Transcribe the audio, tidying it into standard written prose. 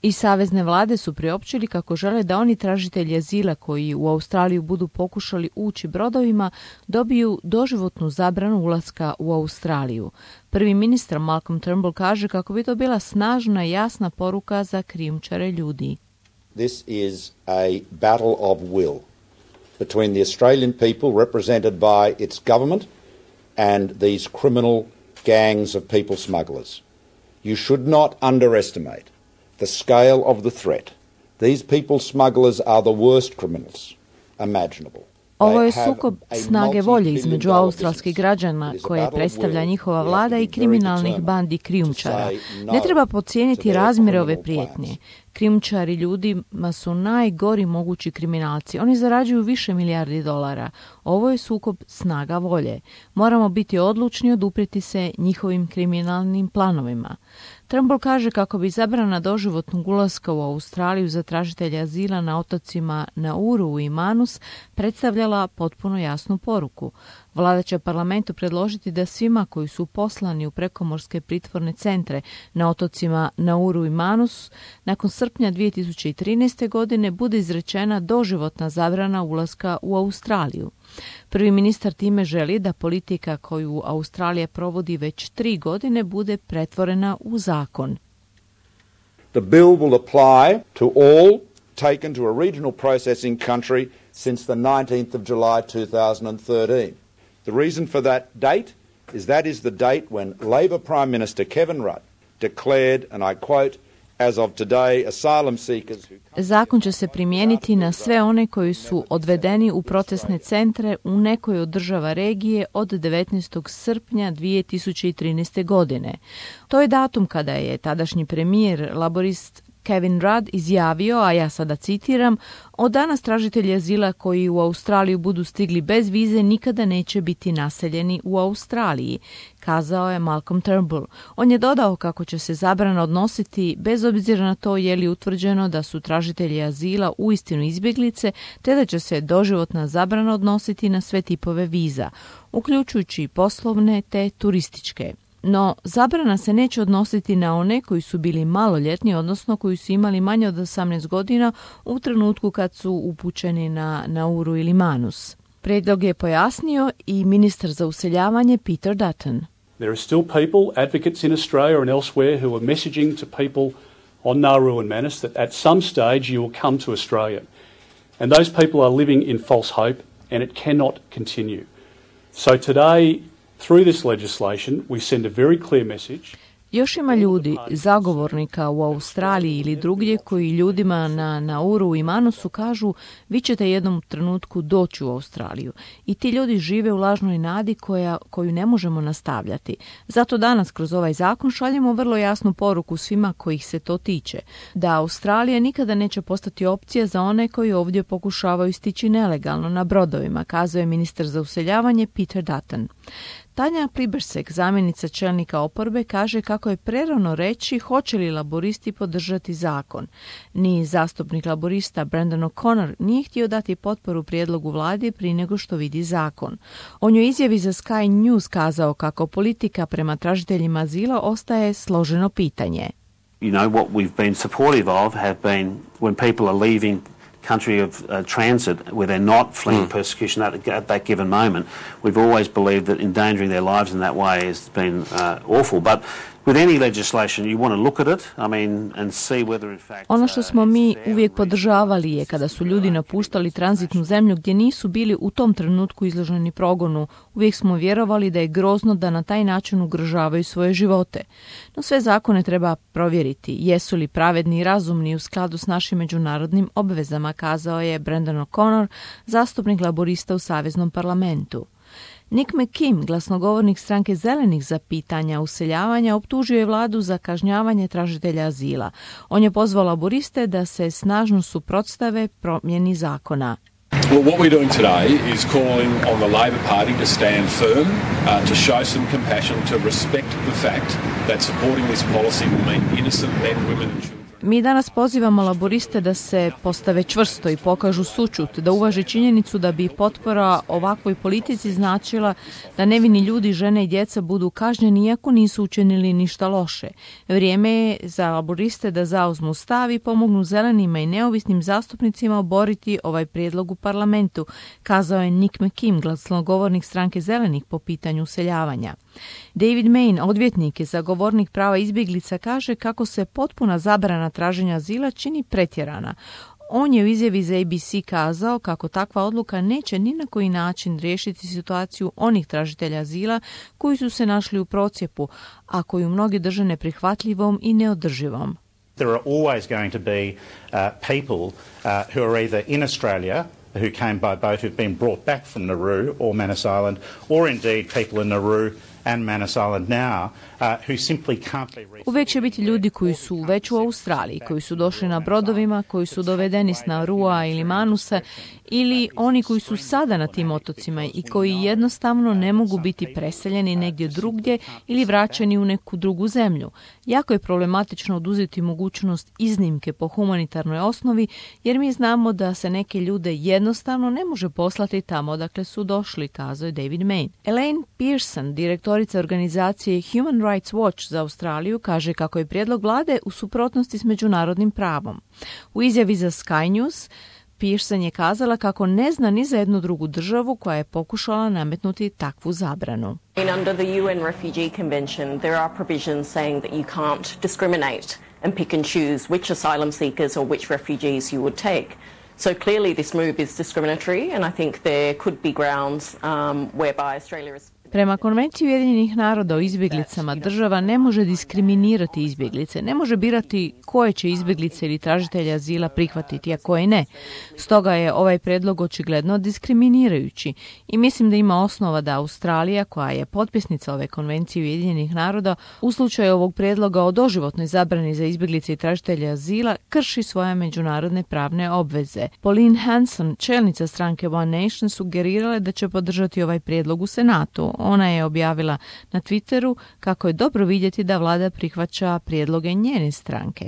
I savezne vlade su priopćili kako žele da oni tražitelji azila koji u Australiju budu pokušali ući brodovima dobiju doživotnu zabranu ulaska u Australiju. Prvi ministar Malcolm Turnbull kaže kako bi to bila snažna i jasna poruka za krijumčare ljudi. This is a battle of will between the Australian people represented by its government and these criminal gangs of people smugglers. You should not underestimate the scale of the threat. These people smugglers are the worst criminals imaginable. Ovo je sukob snage volje između australskih građana koje predstavlja njihova vlada i kriminalnih bandi krijumčara. Ne treba podcijeniti razmjere ove prijetnje. Krijumčari ljudima su najgori mogući kriminalci. Oni zarađuju više milijardi dolara. Ovo je sukob snaga volje. Moramo biti odlučni oduprijeti se njihovim kriminalnim planovima. Turnbull kaže kako bi zabrana doživotnog ulaska u Australiju za tražitelja azila na otocima Nauru i Manus predstavljala potpuno jasnu poruku. Vlada će parlamentu predložiti da svima koji su poslani u prekomorske pritvorne centre na otocima Nauru i Manus nakon srpnja 2013. godine bude izrečena doživotna zabrana ulaska u Australiju. Prvi ministar time želi da politika koju Australija provodi već 3 godine bude pretvorena u zakon. The bill will apply to all taken to a regional processing country since the 19th of July 2013. The reason for that date is that is the date when Labor Prime Minister Kevin Rudd declared, and I quote, as of today, asylum seekers who... Zakon će se primijeniti na sve one koji su odvedeni u procesne centre u nekoj od država regije od 19. srpnja 2013. godine. To je datum kada je tadašnji premijer laborist Kevin Rudd izjavio, a ja sada citiram, od danas tražitelji azila koji u Australiju budu stigli bez vize nikada neće biti naseljeni u Australiji, kazao je Malcolm Turnbull. On je dodao kako će se zabrana odnositi bez obzira na to je li utvrđeno da su tražitelji azila uistinu izbjeglice, te da će se doživotna zabrana odnositi na sve tipove viza, uključujući poslovne te turističke. No, zabrana se neće odnositi na one koji su bili maloljetni, odnosno koji su imali manje od 18 godina u trenutku kad su upućeni na Nauru ili Manus. Prijedlog je pojasnio i ministar za useljavanje Peter Dutton. There are still people, advocates in Australia and elsewhere, who are messaging to people on Nauru and Manus that at some stage you will come to Australia. And those people are living in false hope and it cannot continue. So today, through this legislation, we send a very clear message. Još ima ljudi, zagovornika u Australiji ili drugdje koji ljudima na Nauru i Manusu kažu vi ćete jednom trenutku doći u Australiju. I ti ljudi žive u lažnoj nadi koju ne možemo nastavljati. Zato danas kroz ovaj zakon šaljemo vrlo jasnu poruku svima kojih se to tiče. Da Australija nikada neće postati opcija za one koji ovdje pokušavaju stići nelegalno na brodovima, kazuje ministar za useljavanje Peter Dutton. Tanja Plibersek, zamjenica čelnika oporbe, kaže kako je prerano reći hoće li laboristi podržati zakon. Ni zastupnik laborista Brendan O'Connor nije htio dati potporu prijedlogu vlade prije nego što vidi zakon. On je izjavi za Sky News kazao kako politika prema tražiteljima azila ostaje složeno pitanje. You know, what we've been supportive of have been when people are leaving country of transit where they're not fleeing persecution at that given moment. We've always believed that endangering their lives in that way has been awful. But with any legislation, you want to look at it, I mean, and see whether in fact... Ono što smo mi uvijek podržavali je kada su ljudi napuštali tranzitnu zemlju gdje nisu bili u tom trenutku izloženi progonu. Uvijek smo vjerovali da je grozno da na taj način ugrožavaju svoje živote. No sve zakone treba provjeriti. Jesu li pravedni i razumni u skladu s našim međunarodnim obvezama, kazao je Brendan O'Connor, zastupnik laborista u Saveznom parlamentu. Nick McKim, glasnogovornik stranke Zelenih za pitanja useljavanja, optužio je vladu za kažnjavanje tražitelja azila. On je pozvao laboriste da se snažno suprotstave promjeni zakona. Well, what we're doing today is calling on the Labor Party to stand firm, to show some compassion, to respect the fact that supporting this policy will mean innocent men, women and children. Mi danas pozivamo laboriste da se postave čvrsto i pokažu sućut, da uvaže činjenicu da bi potpora ovakvoj politici značila da nevini ljudi, žene i djeca budu kažnjeni iako nisu učinili ništa loše. Vrijeme je za laboriste da zauzmu stav i pomognu zelenima i neovisnim zastupnicima oboriti ovaj prijedlog u parlamentu, kazao je Nick McKim, glasnogovornik stranke zelenih po pitanju useljavanja. David Main, odvjetnik i zagovornik prava izbjeglica, kaže kako se potpuna zabrana traženja azila čini pretjerana. On je u izjavi za ABC kazao kako takva odluka neće ni na koji način riješiti situaciju onih tražitelja azila koji su se našli u procjepu, a koju mnogi drže neprihvatljivom i neodrživom. There are always going to be people who are either in Australia who came by boat who've been brought back from Nauru or Manus Island, or indeed people in Nauru and Manus Island now who simply can't be reached. Uvijek će biti ljudi koji su već u Australiji, koji su došli na brodovima, koji su dovedeni s Naurua ili Manusa, ili oni koji su sada na tim otocima i koji jednostavno ne mogu biti preseljeni negdje drugdje ili vraćeni u neku drugu zemlju. Jako je problematično oduzeti mogućnost iznimke po humanitarnoj osnovi, jer mi znamo da se neke ljude jednostavno ne može poslati tamo odakle su došli, kazao je David Main. Elaine Pearson, direktorica organizacije Human Rights Watch za Australiju, kaže kako je prijedlog vlade u suprotnosti s međunarodnim pravom. U izjavi za Sky News Pearson je kazala kako ne zna ni za jednu drugu državu koja je pokušala nametnuti takvu zabranu. Under the UN Refugee Convention, there are provisions saying that you can't discriminate and pick and choose which asylum seekers or which refugees you would take. So clearly this move is discriminatory, and I think there could be grounds whereby Australia is... Prema Konvenciji Ujedinjenih naroda o izbjeglicama država ne može diskriminirati izbjeglice, ne može birati koje će izbjeglice ili tražitelja azila prihvatiti, a koje ne. Stoga je ovaj predlog očigledno diskriminirajući i mislim da ima osnova da Australija, koja je potpisnica ove Konvencije Ujedinjenih naroda, u slučaju ovog predloga o doživotnoj zabrani za izbjeglice i tražitelja azila krši svoje međunarodne pravne obveze. Pauline Hanson, čelnica stranke One Nation, sugerirala da će podržati ovaj prijedlog u Senatu. Ona je objavila na Twitteru kako je dobro vidjeti da vlada prihvaća prijedloge njene stranke.